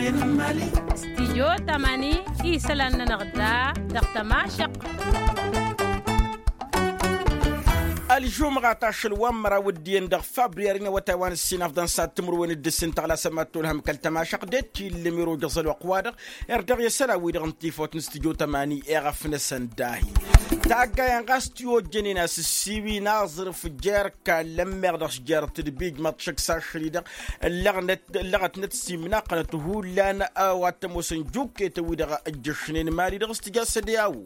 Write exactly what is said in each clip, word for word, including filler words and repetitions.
Stijyo tamani isălan-nănăɣ da dăɣ-tămašăq. Ălžumɣa tašăl wa n-măraw d-iyyăn dăɣ-fabriyari n-awătay wa n-ǝssin afḍăn s-ad-timǝrwen d-ǝssin tăɣlasăm ad-tolhăm kăl-tămašăq d-eti ǝllǝm iroja ăẓăl wa ăqwa-dăɣ. Irdeɣ i-isălan-wi-dăɣ n-tifawt n-stijyo tamani eɣăfnăsăn dahi. Taggayen ɣas tiwojjănen a-s ǝssiwin aẓrǝf jer-kallăn meɣ dăɣ-s jer-tǝdbij măḍšăk s-ašăl-i-dăɣ. Ǝllăɣătnăt s-imnaqănăt hullan a-wa t-ămoosăn juketăn-wi-dăɣ ǝjjăšnen mali dăɣ-s tǝja s-ădyawo.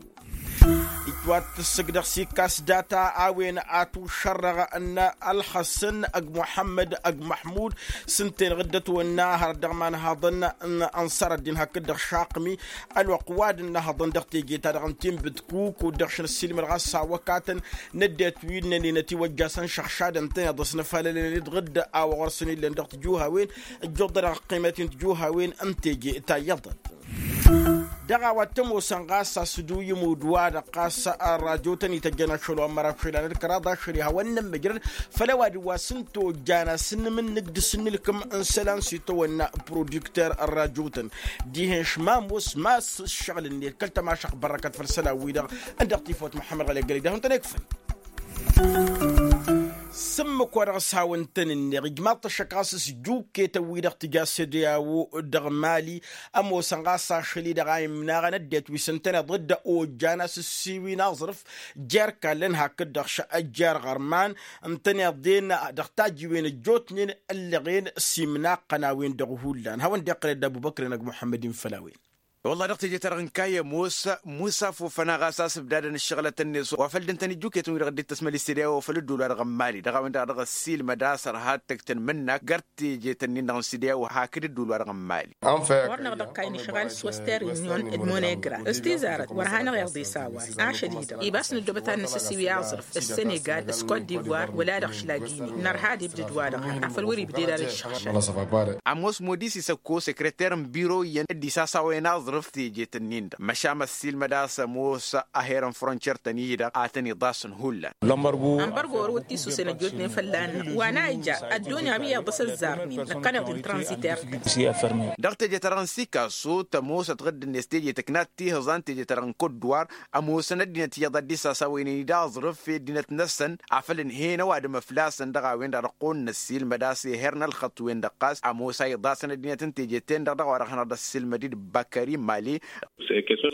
Itwat tǝssǝg dăɣ-s ikkas data a-wen atušărrăɣ n-ălxăsăn ăgg muḥămmăd ăgg măḥmud. S-ǝnta-en ɣǝddăt-wănna hărăt dăɣ-imanhaḍăn n-ănṣăr ăddin hakd-dăɣ šaqmi ălwăqq wa d-ǝnnăhăḍăn dăɣ-teje-ta-dăɣ n-tinbǝtkuk kud-dăɣ šăn ăssiilmăd ɣas s-awăkatăn n-ăddinăt wi ǝnnănen ătiwăjjasăn šăɣšadăn-tăn iḍǝs n-afalălăn d-ɣǝdda a-wa ɣur-săn illăn dăɣ-tijuhawen. Ǝjjuḍ-dăɣ ăqqimet n-tijuhawen n-teje ta iyyăḍăn. Dăɣ-a-wa t-ămoosăn ɣas a-s dd-uyǝm udǝw-wa-dăɣ ɣas ărrajotăn ităjjăn ašăl wa n-măraw šălan d-kăraḍ ašăl ihawăn-nămmăjrăd făll-ăwadǝm wa s-ǝnta ojjan a-s n-imǝnnǝk d-asǝnnǝlkǝm n-isălan s-itawănna produkter ărrajotăn. Dihen šmam wa s-ma s-ǝššăɣǝl-net kăl-tămašăɣt bărrăkăt făll-isălan-wi-dăɣ. Ǝndăɣ tifawt muḥămmăd ɣălegăl idăh-wăn-tăn ikfăn. S-ǝmmǝk wa dăɣ-s hawăn-tăn-ǝnneɣ ijmaḍ-t ăššăk ɣas s-juketăn-wi-dăɣ tǝja s-ădyawo dăɣ-mali. Ămoosăn ɣas ašăl-i-dăɣ a imnaɣăn ăddinăt wi s-ǝntăneḍ dd-ojjan a-s ǝssiwin aẓrǝf jer-kallăn hakd-dăɣ šăjjar ɣărman. Ǝntăneḍ-en dăɣ-tajǝwen ăjjootnen ăllăɣen s-imnaqqăn a-wen-dăɣ hullan hawăn-dd-iqqăl dd-ăbubăkr-en ăgg muḥămmăd-in făll-a-wen. Wălla dăɣ-teje-ta-dăɣ n-kayy ămoos musa fofăna ɣas a-s ǝbdadăn ǝššăɣǝlăt-net wa făl dd-ǝntăn ijuketăn-wi-dăɣ dd-tăsmăl i-sădyawo făll-ǝddul-wa-dăɣ n-mali dăɣ-a-wen-dăɣ a dăɣ-ăssiilmăd a-s ărha d-tăjj-tăn imǝnnak găr teje-tăn-in-dăɣ n-sădyawo hakd ǝddul-wa-dăɣ n-mali. Ɣur-năɣ dăɣ-kayy nǝšɣal s-western union d-monegra s-tizarăt wăr hanăɣ-iḍes a-wa ašăl-i-dăɣ ibas nǝddobăt ad-nǝsǝsiwi aẓrǝf s-senegal s-kot divoir wăla dăɣ-šlagini nărha ad-ibdǝd-wa-dăɣ afăl wăr-ibded ad-ǝššăɣšăl. Ămoos modis isăkko sekreter n-biro iyyăn dd-isasawen aẓrǝf tejet-ǝnnin-dăɣ măšan ăssiilmăd a-s ămoos aher n-frontiyer-tăn-i-dăɣ a tăn-iḍasăn hullan. Ănbărgo wăr-wăt-tisusen ăjjootnen fălla-năɣ wa n-a ija ăddunya wi iḍǝs ăzzarnen năkkăneḍ-in tranziter. Dăɣ-teje-ta-dăɣ n-sikaso tămoosăt ɣǝdd-net teje tǝknat tihǝẓan teje-ta-dăɣ n-kot duwar. Ămoosăn ăddinăt iyyăḍ a dd-isasawen-in-dd aẓrǝf i-ăddinăt-năsăn afăl ǝnhen ăwadǝm ăflasăn dăɣ-a-wen-dăɣ dăɣ-kăwăn-năssiilmăd a-s eher n-ălxăṭṭ-wen-dăɣ ɣas ămoos a iḍasăn ăddinăt n-teje-ten-dăɣ dăɣ-a-wa dăɣ-hanăɣ-dd-ăssiilmăd-dd băkări mali.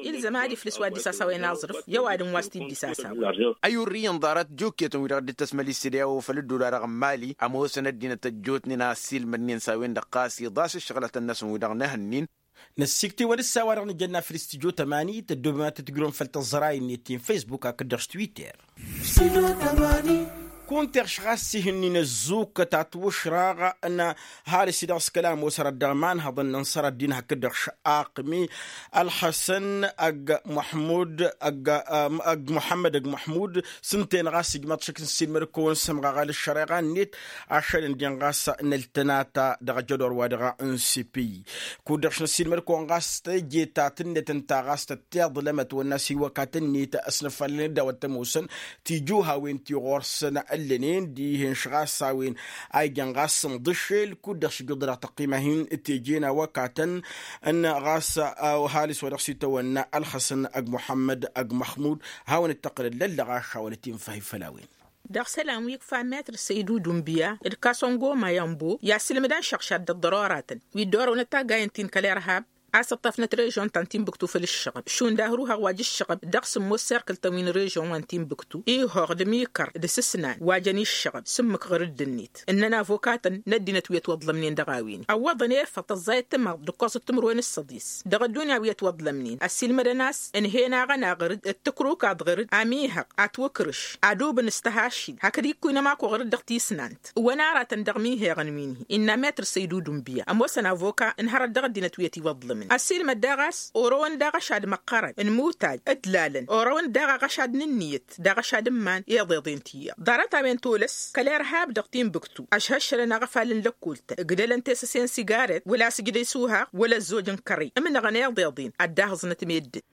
Ilzăm ad-iflǝs wa dd-isasawen aẓrǝf i-ăwadǝm wa s-t-dd-isasawen. Ăyurrǝy n-ḍarăt juketăn-wi-dăɣ dd-tăsmăl i-sădyawo făll-ăddola dăɣ-n mali ămoosăn ăddinăt ăjjootnen a ăssiilmădnen s-a-wen-dăɣ ɣas iḍas ǝššăɣǝlătăn-năsăn wi-dăɣ n-ehăn-in. Năssiktewăn s-a-wa-dăɣ nǝjănna făll-studyo tămani tăddoobem ad-tǝtǝjrǝwăm făll-tăẓẓăray-net ti n-facebook hakd-dăɣ s-twitter. Kunta iɣš ɣas ihǝnnin ăzzukkăt atwǝšraɣ n-halǝs-i-dăɣ s-kăla ămoos hărăt dăɣ-imanhăḍăn n-inṣăr ăddin hakd-dăɣ šaqmi ălxăsăn ăgg muḥmud ăgg muḥămmăd ăgg muḥmud. S-ǝnta-en ɣas ijmăḍ šăkk n-ăssiilmăd-kăwăn s-ămɣaɣal ǝššăreɣa-net ašăl ǝndin ɣas n-ăltănata dăɣ-ajădor wa dăɣ-n sipiy. Kud-dăɣ š-năssiilmăd-kăwăn ɣas teje ta tǝnnet ǝnta ɣas tăt-tiḍlăm ătwănna s-iwăkatăn-net ăsnăfalăn-dd a-wa t-ămoosăn tijuhawen ti ɣur-săn ǝllănen dihen-š ɣas a-wen a ijăn ɣas n-iḍǝššel kud-dăɣ š-ijǝḍ dăɣ-tăqqima hin-teje n-awăkatăn n-ɣas ăhalǝs wa dăɣ-s itawănna ălxăsăn ăgg muḥămmăd ăgg măxmud. Hawăn-dd-tăqqǝlăn lăllăɣ ašawălăt-in făhhi făll-a-wen. Dăɣ-isălan wi ikfa metr săydu dunbiya d-kasăngoma i-ănbo i-asǝlmǝd ănšăɣšad d-ăḍḍărorătăn wi dd-orăwnăt taggayen-tin kăl-irhab. A-s ǝṭṭăfnăt režon ta n-tinbǝktu făll-ǝššăɣăb šund ahruhăɣ wa j-ǝššăɣăb dăɣ-sǝmmos serkǝl-tăn wi n-režon wa n-tinbǝktu ihhoɣ d-ămikăr d-asǝsnan wa jăn iššăɣăb s-ǝmmǝk ɣǝrǝdd-net ǝnnăn avokatăn n-ăddinăt wi ătwăḍlămnen dăɣ-a-wen ăwwăḍăn efăḍ tăẓẓayăt timăḍt d-ǝkkoẓăt timǝrwen s-săḍis. Dăɣ-ăddunya wi ătwăḍlămnen ăssiilmădăn a-s ǝnhen-aɣ ănaɣrǝd d-tǝkruk aḍɣǝrǝd amihăɣ atwǝkrǝš adubǝn s-tăhašil hakd ikkuy n-ămaku ɣǝrǝd dăɣ-tisnant. Ǝwăn aratăn dăɣ-miheɣăn wi n-hi-innă metr săydudun biya ămoosăn avoka ǝnhărăt dăɣ-ăddinăt wi ătiwăḍlămnen. Ăssiilmăd daɣ a-s orăwăn daɣ ašad măqqărăn n-imutaj d-lalăn orăwăn daɣ aɣăšad n-ǝnniyăt d-aɣăšad n-iman iḍeḍen tiyyăḍ ḍarăt-a-wen tolăs kăl-irhab dăɣ-timbuktu ăšhăššălăn aɣăfal n-lăkkultăn ǝgdălăn tesăse n-sigaret wăla sǝjdăy s-uhaɣ wăla ăzzoj n-kărrey ǝmnăɣăn iḍeḍen ad-dd-ahǝẓnăt meddǝn.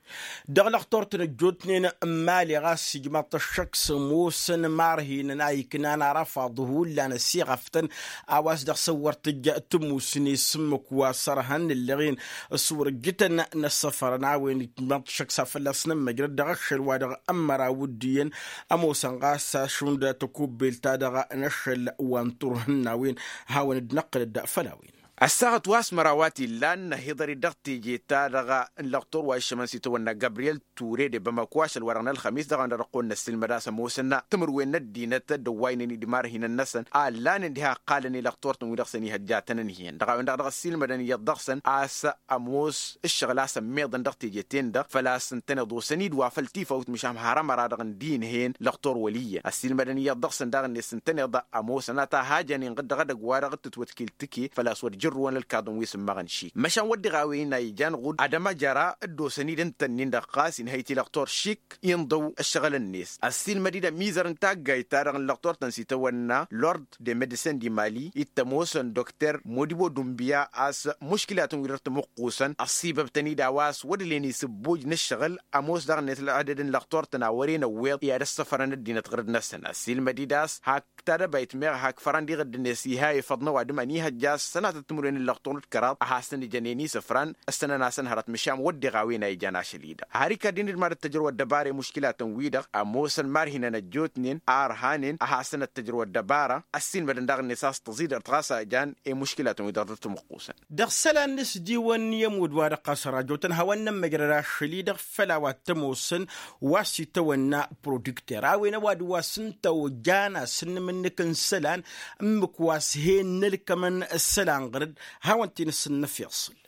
Dăɣ-lăxtur-tăn ăjjootnen n-imali ɣas ijmaḍ-t ăššăk s-ămoosăn imarhinăn a iknan arăfaḍ hullan ăsiɣăftăn a-wa s-dăɣ-săwwăr tǝjja tǝmmusne s-ǝmmǝk wa s-ărhăn ǝllăɣen s-wăr-ǝjjǝtăn n-ăssăfărăn a-wen ijmaḍ-t ăššăk s-ad-fălla-s nămmăjrăd dăɣ-ašăl wa dăɣ-ămmăraw d-iyyăn ămoosăn ɣas ašund tăkubbelt-ta-dăɣ n-ašăl wa n-turhǝn n-a-wen. Hawăn-dd-năqqǝlăd făll-a-wen. Ăssaɣăt wa s-măraw a t-illan năhiḍăr-dd dăɣ-teje-ta-dăɣ n-lăxtur wa iššămăn s-itawănna gabriyel ture de bamako ašăl wa-dăɣ n-ălxămis dăɣ-ănn dăɣ-ăqqol n-ăssiilmăd a-s ămoosăn tǝmǝrwen n-ăddinăt dd-ăwwaynen-dd imarhinăn-năsăn a ǝllanen diha ǝqqalăn i-lăxtur-tăn-wi-dăɣ s-ănihăjjatăn ǝnhǝyăn dăɣ-a-wen-dăɣ dăɣ-ăssiilmădăn iyyăḍ dăɣ-săn a-s ămoos ǝššăɣǝl a-s ămmiḍăn dăɣ-teje-ten-dăɣ făl-a-s ǝntăneḍ osăn-dd wa făl tifawt măšan har ămăra-dăɣ n-dinhăyăn lăxtur wăl' iyyăn ăssiilmădăn iyyăḍ dăɣ-săn daɣ-net ǝntăneḍ ămoosăn a ta hajăn inɣǝd dăɣ-edăgg wa dăɣ-tǝtwătkil tǝke făl-a-s wăr jărrǝwăn ălkaḍăn wi s-ǝmmăɣăn šik măšan wădden a-wen a ijan ɣud ad-ămăjăra dd-osăn-dd ǝntănnin-dăɣ ɣas inhăy-t i-lăxtur šik inḍăw ăššăɣǝl-net ăssiilmăd-dd ămizăr n-taggayt-ta-dăɣ n-lăxtur-tăn s-itawănna lord de medicin di mali ittămosăn dokter modibo dumbiya a-s muškilatăn-wi-dăɣ tămuqqusăn ăṣṣibăbtăn-dd a-wa s-wădlen isǝbbuj n-ǝššăɣǝl ămoos daɣ-net ălɣădăd n-lăxtur-tăn a wăren ăwweḍ i-ad-ăssăfărăn ăddinăt ɣǝrǝd-năsăn ăssiilmăd-dd a-s hak tadăbayt meɣ hak fărăn d-iɣǝddǝnet iha efăḍ n-ăwadǝm ănihăjja a-s sănatăt timǝrwen n-lăxtur d-kăraḍ a hasăn-ijănen isǝfran ăssănăn-asăn hărăt măšan wădden a-wen a ijan ašăl-i-dăɣ har ikadd-in-dd mad-ăttăjrăw ăddăbara i-muškilatăn-wi-dăɣ ămoosăn marhinăn ăjjootnen a ărhanen a hasăn-ăttăjrăw ăddăbara ăssiilmădăn daɣ-net a-s tăẓidărt ɣas a jan i-muškilatăn-wi-dăɣ dăr-tămăqqusăn. Dăɣ-isălan n-asdiwăn i-ămudd wa-dăɣ ɣas ărajotăn hawăn-nămmăjrăd ašăl-i-dăɣ făll-a-wa t-ămoosăn wa s-itawănna produkter a-wen ăwadǝm wa s-ǝnta ojan asǝnnǝm-nǝk n-isălan ǝmmǝk wa s-hen n-ălkămăn isălan ɣǝr-dd. Hawăn-t-in-ǝssǝnnăf iṣǝl.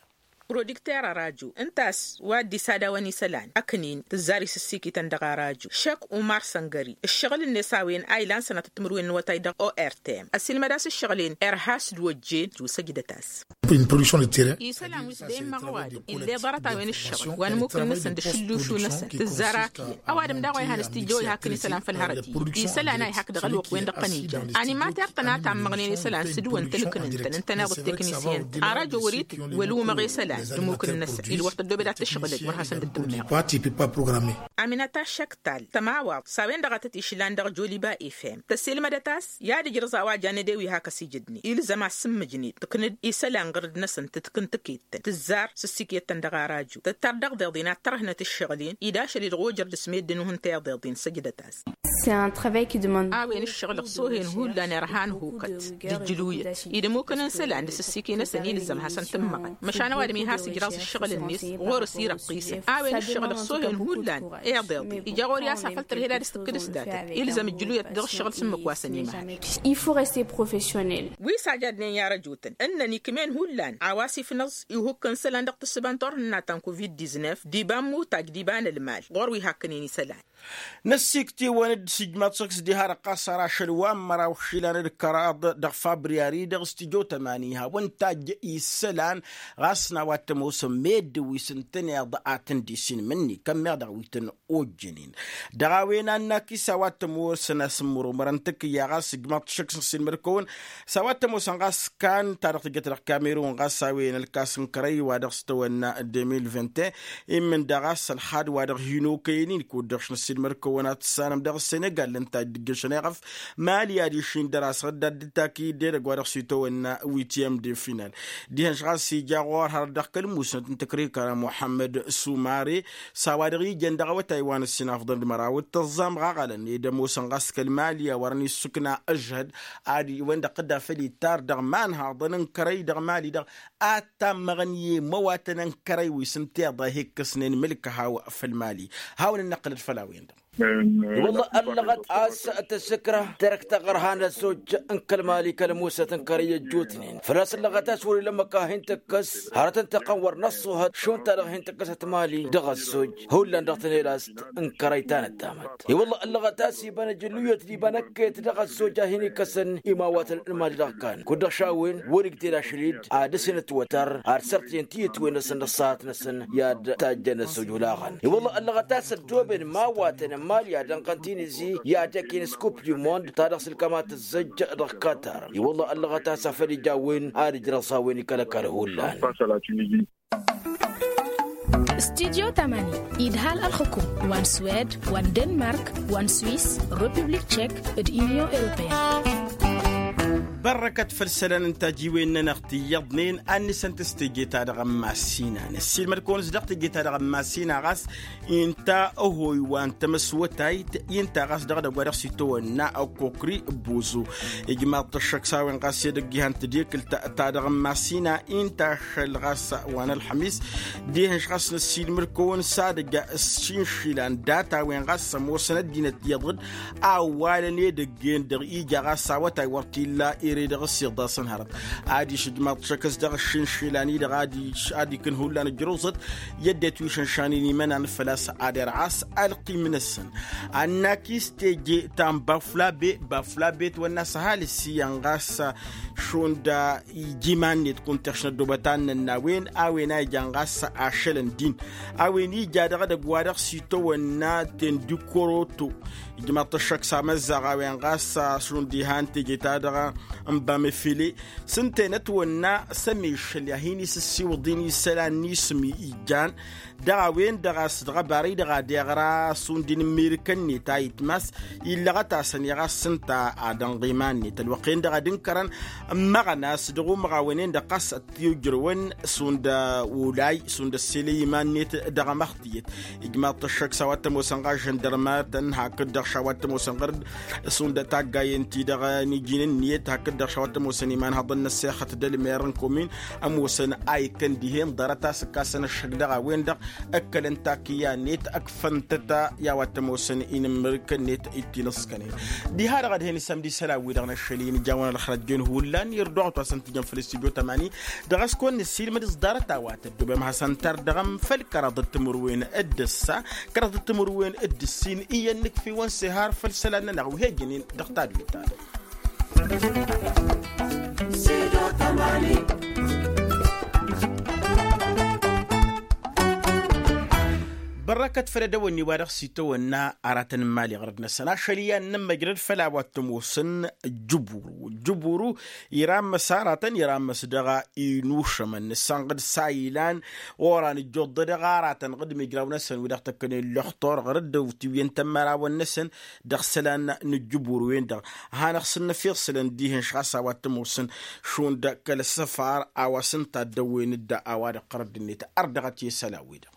Produkter ăraju ǝnta a-s wa dd-isadawăn isălan ăknin tǝzzar isǝssikităn dăɣ-araju šek umar săngări ǝššăɣǝl-net a-wen a ilan sănatăt timǝrwen n-awătay dăɣ-ortm ăsilmăd a-s ǝššăɣǝl-en irha a-s dd-ojjen ijusăjdăt-as. Isălan wi s-dd-emmăɣ ăwadǝm ill'-e ḍarăt-a-wen ǝššăɣǝl wa n-imukǝl-năsăn d-ašǝllušu-năsăn tǝzzar akǝyăn ăwadǝm daɣ wa ihăn s-tijjăw ihakk n-isălan făll-hărăt-i isălan a ihakk dăɣ-ălwăqq-wen dăɣ-tăn-ijan animater-tăn a tammăɣnen isălan s-dd-wăn tǝlkǝn-tăn ǝntăneḍ d-teknisyen-tăn arăjo wăr-itǝj wăl-umăɣ isălan d-imukǝl-năsăn ilwăr tăddobed ad-t-ǝšɣǝlăj wăr hasăn-dd-tǝmmeɣ. Aminata šăktal tămawaḍt s-a-wen-dăɣ a tăt-išlan dăɣ-joliba efem tăsilmădăt a-s i-ad-ǝjrǝẓ a-wa jan ede wi hak ăsijǝdne ilzăm a s-sǝmmǝjnet tǝknǝd isălan ɣǝr-dd-năsăn tǝtkǝn tǝket tǝzzar s-ǝssiket-tăn dăɣ-araju tǝttar dăɣ-iḍeḍen ad-tărhnăt ǝššăɣǝl-en-i d-ašăl-i dăɣ-ojăr d-asmeddǝn uhǝntăy iḍeḍen săjdăt-as. A-wen ǝššăɣǝl ăṣṣohen hullan irhan hukăt d-ǝjjǝluyăt-i d-ămukăn n-isălan d-asǝssike-năsăn ilzăm hasăn-tǝmmăɣăn măšan ăwadǝm iha s-ǝjraẓ ǝššăɣǝl-net ɣur-s irăqqisăn. A-wen ǝššăɣǝl ăṣṣohen hullan iḍeḍe ija ɣur-i a-s afăl tărhed ad-dăɣ-s tǝkkǝd s-datăt ilzăm ǝjjǝluyăt dăɣ-ǝššăɣǝl s-ǝmmǝk wa s-ănimăhăd. Wi s-ajadnen i-arăjotăn ǝnnăn ikm'-en hullan a-wa s-ifnăẓ ihukk n-isălan dăɣ-tǝssǝba n-turhǝnna ta n-covid-diznef d-iba n-imutaj d-iba n-ălmal ɣur-wi hakkănen isălan. Năssikt'-iwăn-dd s-ijmaḍ-t šăkk s-diha-dăɣ ɣas ărašăl wa n-măraw išilan d-kăraḍ dăɣ-fabriyari-dăɣ s-tijot ămani hawăn-tajj isălan ɣas n-a-wa t-ămoosăn meddǝn wi s-ǝntăneḍ a tăn-dd-isinmǝnni kămmeɣ dăɣ-wi tăn-ojjănen. Dăɣ-a-wen a n-akis a-wa t-ămoosăn asǝmmărumărăn tǝkǝyya ɣas ǝjmaḍ-t šăkk s-ăssiilmăd-kăwăn s-a-wa t-ămoosăn ɣas kan ta dăɣ-tǝjjăt dăɣ-kamerun ɣas a-wen ălkas n-kărăy wa dăɣ-s tăwănna deux mille vingt et un immǝn daɣ a-s ălxad wa dăɣ-hin-okăyăn-in kud-dăɣ š-năssiilmăd-kăwăn ad-tǝssanăm dăɣ-senegal ǝnta a dd-ǝjjăšăn eɣăf mali ad-išin dăr-asăɣ dd-ad-dd-ta kăy-dd edăgg wa dăɣ-s itawănna witiyăm de final. Dihen-š ɣas ija ɣur-hărăt dăɣ-kăl-musnăt n-tăkrikăra muḥămmăd sumare s-a-wa dăɣ-ijăn dăɣ-awătay wa n-ǝssin afḍăn d-măraw d-tăẓẓam ɣaɣălăn ed ămoosăn ɣas kăl-mali a wărăn issǝkna ǝžhăd ad-iwăn-dăɣ tădda făll-ittar dăɣ-iman haḍăn n-kărăy dăɣ-mali-dăɣ ad-tammăɣăn i-imăwatăn n-kărăy wi s-ǝnta iḍa hi-ikkăsnen mǝlk haw făll-mali. Hawăn-dd-năqqǝlăd făll-a-wen-dăɣ. I-wălla ăllăɣăt a-s tǝssǝkrăh tărăkt taɣărha n-ăzzojj n-kăl-mali kăl-musăt n-kărăy ăjjootnen făl-a-s ăllăɣăt a-s wăr-ila ămmăk a hin-tǝkkǝs hărăt ǝntăqqăn wăr năṣṣuhăt šund-ta-dăɣ hin-tǝkkǝsăt mali dăɣ-ăzzojj. Hullan dăɣ-tăn-e-d a-s n-kărăy ta n-ăddamăt i-wălla ăllăɣăt a-s iba n-ajǝlluyăt d-iba n-ăkket dăɣ-ăzzojj a hin-ikăsăn imawatăn n-mali dăɣ-kăn kud-dăɣ šawen wăr-igdel ašăl-dd ad-dăr-s inǝtwătăr ad-sărtăjăn tiyǝtwen-năsăn d-ăṣṣahat-năsăn i-ad-tajjăn ăzzoj olaɣăn. I-wălla ăllăɣăt a-s ăddooben imawaten n-mali ad-ănɣăn tinizi i-ad-ăkk-in s-kup du mond ta dăɣ-s ǝlkăma tǝzzăjj dăɣ-katar. I-wălla ăllăɣăt a-s a făl ija a-wen ad-ǝjrăẓ a-wen ikăl-ăkall hullan. Studyo tamani idhal ălxukum wa n-swed wa n-denmark wa n-swis, republik tšek, d-inyon europeyăn. Bărrăkăt făll-isălan n-tajiwen-nănăɣ ti iyyăḍnen ad-nǝsǝnt s-teje-ta-dăɣ n-massina năssiilmăd-kăwăn-s dăɣ-teje-ta-dăɣ n-massina ɣas inta ăhoy wa n-tamăswătayt inta ɣas dăɣ-edăgg wa dăɣ-s itawănna ăkkokri. Bozo ijmaḍ-t ăššăk s-a-wen ɣas edăgg ihăn tadekǝlt ta dăɣ-n massina inta ašăl ɣas wa n-ălxămis. Dehăn-š ɣas năssiilmăd-kăwăn s-ad-ăj s-išinšilan data-wen ɣas ămoosăn ăddinăt iyyăḍ d-awwalăn edăgg-en-dăɣ ija ɣas awătay wăr t-illa ere dăɣ-s iḍasăn hărăt. Adiš ǝjmaḍ-t šăkk s-dăɣ ǝššǝnšǝlan-i-dăɣ adiš ad-ikǝn hullan ǝjruẓăt i-ăddinăt wi šănšanin imănan făl-a-s ad-irɣas ălqim-năsăn. Ănnakis teje ta n-baflabe baflabe tawănna s-ăhalǝs iyyăn ɣas šund ija iman-net kunta ăššănăt d-obătan-nănn a-wen a-wen a ijan ɣas ašălăn din a-wen ija dăɣ-edăgg wa dăɣ-s itawănna tendikoroto. Ijmaḍ-t ăššăk s-amăzzaɣ a-wen ɣas šund ihan teje-ta-dăɣ n-bamefele s-ǝnta-en ătwănna s-ămešăl i-ad-hin-isǝssiwǝḍ-in isălan n-isǝm ijan. Dăɣ-a-wen-dăɣ a-s dăɣ-ăbarăy-dăɣ ad-iɣra šund inǝmmirǝkăn-net a itmas illăɣăt-asăn i-ɣas s-ǝnta ad-ănɣ iman-net ălwăqq-en-dăɣ ad-ǝnkărăn ǝmmăɣăn a-s dăɣ-umăɣawăn-en-dăɣ ɣas ăttiwjrăwăn šund olay šund ăsselăy iman-net. Dăɣ-amăɣ tiyyăt ijmaḍ-t ăššăk s-a-wa t-ămoosăn ɣas žăndărmatăn hakd-dăɣ š-a-wa t-ămoosăn ɣăr-dd šund taggayen-ti-dăɣ n-iji n-ǝnniyăt hakd-dăɣ š-a-wa t-ămoosăn imanhăḍăn n-ăssexăt d-ălmer n-komin ămoosăn a ikkăn dihen ḍarăt a-s ǝkkasăn ăššăk dăɣ-a-wen-dăɣ ǝkkălăn takǝyya-net ǝkfăn-tăt i-a-wa t-ămoosăn inǝmmǝrǝkăn-net. Ittinǝskănen diha-dăɣ ad-hen-isămd isălan-wi-dăɣ n-ašăl-i n-ijawăn ălxărăt jen hullan irduɣăt wa s-ăntǝjăn făll-studyo tamani. Dăɣ-s kăwăn-nǝssiilmăd s-ḍarăt a-wa tăddobem hasăn-tărdăɣăm făll-kăraḍăt timǝrwen d-ǝssa kăraḍăt timǝrwen d-ǝssin iyyăn nǝkf'-iwăn s-ehar făll-isălan-nănăɣ wi he-ǝjǝnen dăɣ-tadwit-ta-dăɣ. Bărrăkăt făll-edăwănni wa dăɣ-s itawănna aratăn n-imali ɣărăd-năsăn ašăl iyyăn n-ămmăjrăd făll-a-wa t-ămoosăn. Jǝburu jǝburu irammăs aratăn irammăs dăɣ-inušămăn nǝssanɣăd s-a ilan oran ǝjjoḍ-dăɣ aratăn ɣǝd imǝjraw-năsăn wi dăɣ-tăkkănen lăxtur ɣărăd d-tiwǝyăn tămmărawăn-năsăn. Dăɣ-isălan n-ǝjjǝbur-wen-dăɣ a hanăɣ-sǝnnăf iɣsǝlăn dihen-š ɣas a-wa t-ămoosăn šund kăl-ăssăfar a-wa s-ǝnta ăddăwwen-dd a-wa dăɣ-tărădd-net. Ărdăɣăt i-isălan-wi-dăɣ.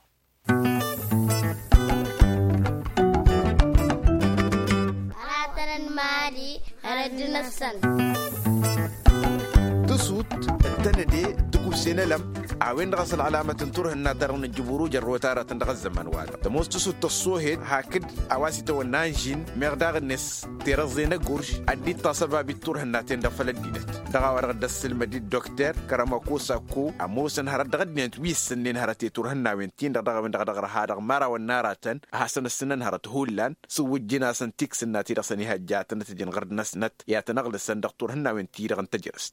Aratăn n-imali ărădd-năsăn. Tǝsut d-tănăde tǝkubse n-elăm a-wen-dăɣ a-s ălɣălamăt n-turhǝnna-ta-dăɣ n-ǝjjǝburu jărrăwăt aratăn dăɣ-ăzzăman-wa-dăɣ tămoos tǝsut tăṣṣohed hakd a-wa s-itawănna anžin meɣ daɣ-net terăẓẓe n-agurž ad-dd-iṭṭas ăbabi-t-turhǝnna-ten-dăɣ făll-ăddinăt. Dăɣ-a-wa-dăɣ dd-ăssǝlmăd-dd dokter kăramakosako ămoosăn hărăt dăɣ-ăddinăt wi ǝssǝnnen hărăt i-turhǝnnawen-tin-dăɣ dăɣ-a-wen-dăɣ dăɣ-răha dăɣ-imărawăn n-aratăn ad-hasăn-ǝssǝnăn hărăt hullan s-iwwǝjjǝn-asăn tiksǝnna ti-dăɣ săn ihăjja ad-tăn-ătjǝn ɣărd-năsnăt i-ad-tăn-ăɣlǝsăn dăɣ-turhǝnnawen-ti-dăɣ n-tejrăst.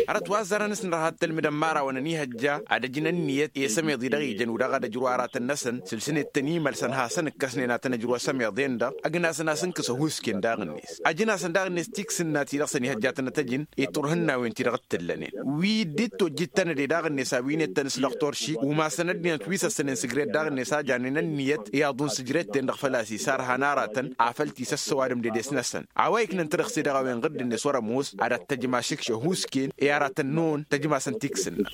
Hărăt wa ăzzarăn s-nărha d-tălmǝdăn imărawăn ănihăjja ad-ăjǝn ǝnniyăt i-asămeḍ-i-dăɣ ijăn wi-dăɣ ad-ăjrǝw aratăn-năsăn sǝlsăn-dd tăn-imălsăn hasăn-ǝkkăsnen ad-tăn-ăjrǝw asămeḍ-en-dăɣ. Ăgg-nasăn a-s ǝnkǝs ăhuusken daɣ-net ăjǝn-asăn daɣ-net tiksǝnna ti-dăɣ săn-ihăjja ad-tăn-ătăjǝn i-turhǝnnawen-ti-dăɣ t-tǝllănen wi dd-tojjǝd tănăde daɣ-net a-wi n-ettăn s-lăxtor šik umasăn ăddinăt wi s-ăssănen s-ǝjret daɣ-net a janen ănniyăt i-aḍu n-sǝjret-ten-dăɣ făl-a-s isarhan aratăn afăl ti s-ăssăwadăm dedes-năsăn. A-wa iknăn tărăɣse dăɣ-a-wen ɣǝdd-net wăr-ămoos ad-ad-tăjma šǝkš ăhuusken i-aratăn-năwăn tăjmasăn tiksǝnna.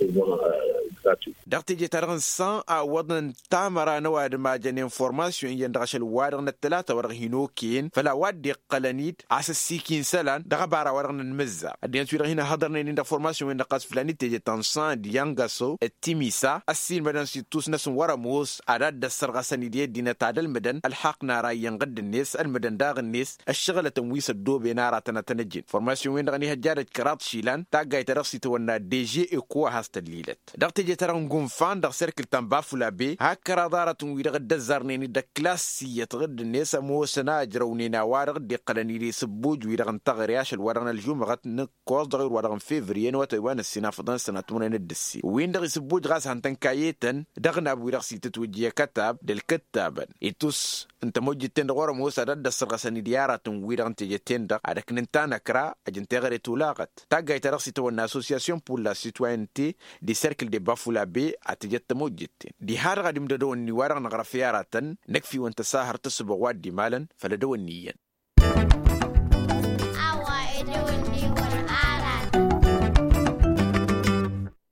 dăɣ-teje-ta-dăɣ n-san a ǝwwăḍnen tamăra n-ăwadǝm a jăn informasyon-iyyăn dăɣ-ašăl-wa-dăɣ n-ăttălata wa dăɣ-hin-okăyăn făll-a-wa dd-iqqălăn-dd asǝssik-in isălan dăɣ-ăbara wa dăɣ-nănmǝzza ăddinăt-wi-dăɣ hin-ăhhăḍărnen-in dăɣ-formasyon-wen-dăɣ ɣas fǝlăn-dd teje ta n-san d-iyyăn găso d-timisa ăssiilmădăn s-ittus-năsăn wăr-ămoos ad-dd-ăssărɣăsăn idiyăt dinăt ad-ălmǝdăn ălxaqq n-ara iyyăn ɣǝdd-net ălmǝdăn daɣ-net ăššăɣǝlătăn wi s-ăddooben aratăn ad-tăn-ăjjǝn formasyon-wen-dăɣ ăniihăjjadăj kăraḍ išilan taggayt-ta-dăɣ s-itawănna deže eko a has-tăllilăt dăɣ-teje-ta-dăɣ n-gunfan dăɣ-serkǝl ta n-bafulabe hak kăraḍ aratăn-wi-dăɣ dd-ăzzarnen-dd ăklas iyyăt ɣǝdd-net ămoosăn a ăjrăwnen a-wa-dăɣ dd-iqqălăn-dd isǝbbuj-wi-dăɣ n-taɣre ašăl wa dăɣ-nălžumăɣăt n-ǝkkoẓ dăɣ-ewăr wa dăɣ-n fevriye n-awătay wa n-ǝssin afḍăn sănatmănăn d-ǝssin win-dăɣ isǝbbuj ɣas han tăn-kayetăn dăɣ-nab-wi-dăɣ s-itǝtwǝjj i-akătab d-ǝlkǝttabăn itus n-tămojjǝt-ten-dăɣ wăr-ămoos ad-dd-ăssărɣăsăn-dd i-aratăn-wi-dăɣ n-teje-ten-dăɣ ad-ăknǝn tanăkra ăjǝn teɣăre tulaɣăt taggayt-ta-dăɣ s-itawănna associasyon pour la sitwayente d-iserkǝl de-bafulabe ad-tǝjăt tămojjǝt-ten diha-dăɣ ad-imdăd ăwănni wa dăɣ-năɣrăf i-aratăn năkf'-iwăn tăsahărt ăssăbăɣ wa dd-imalăn făll-ădăwănni iyyăn.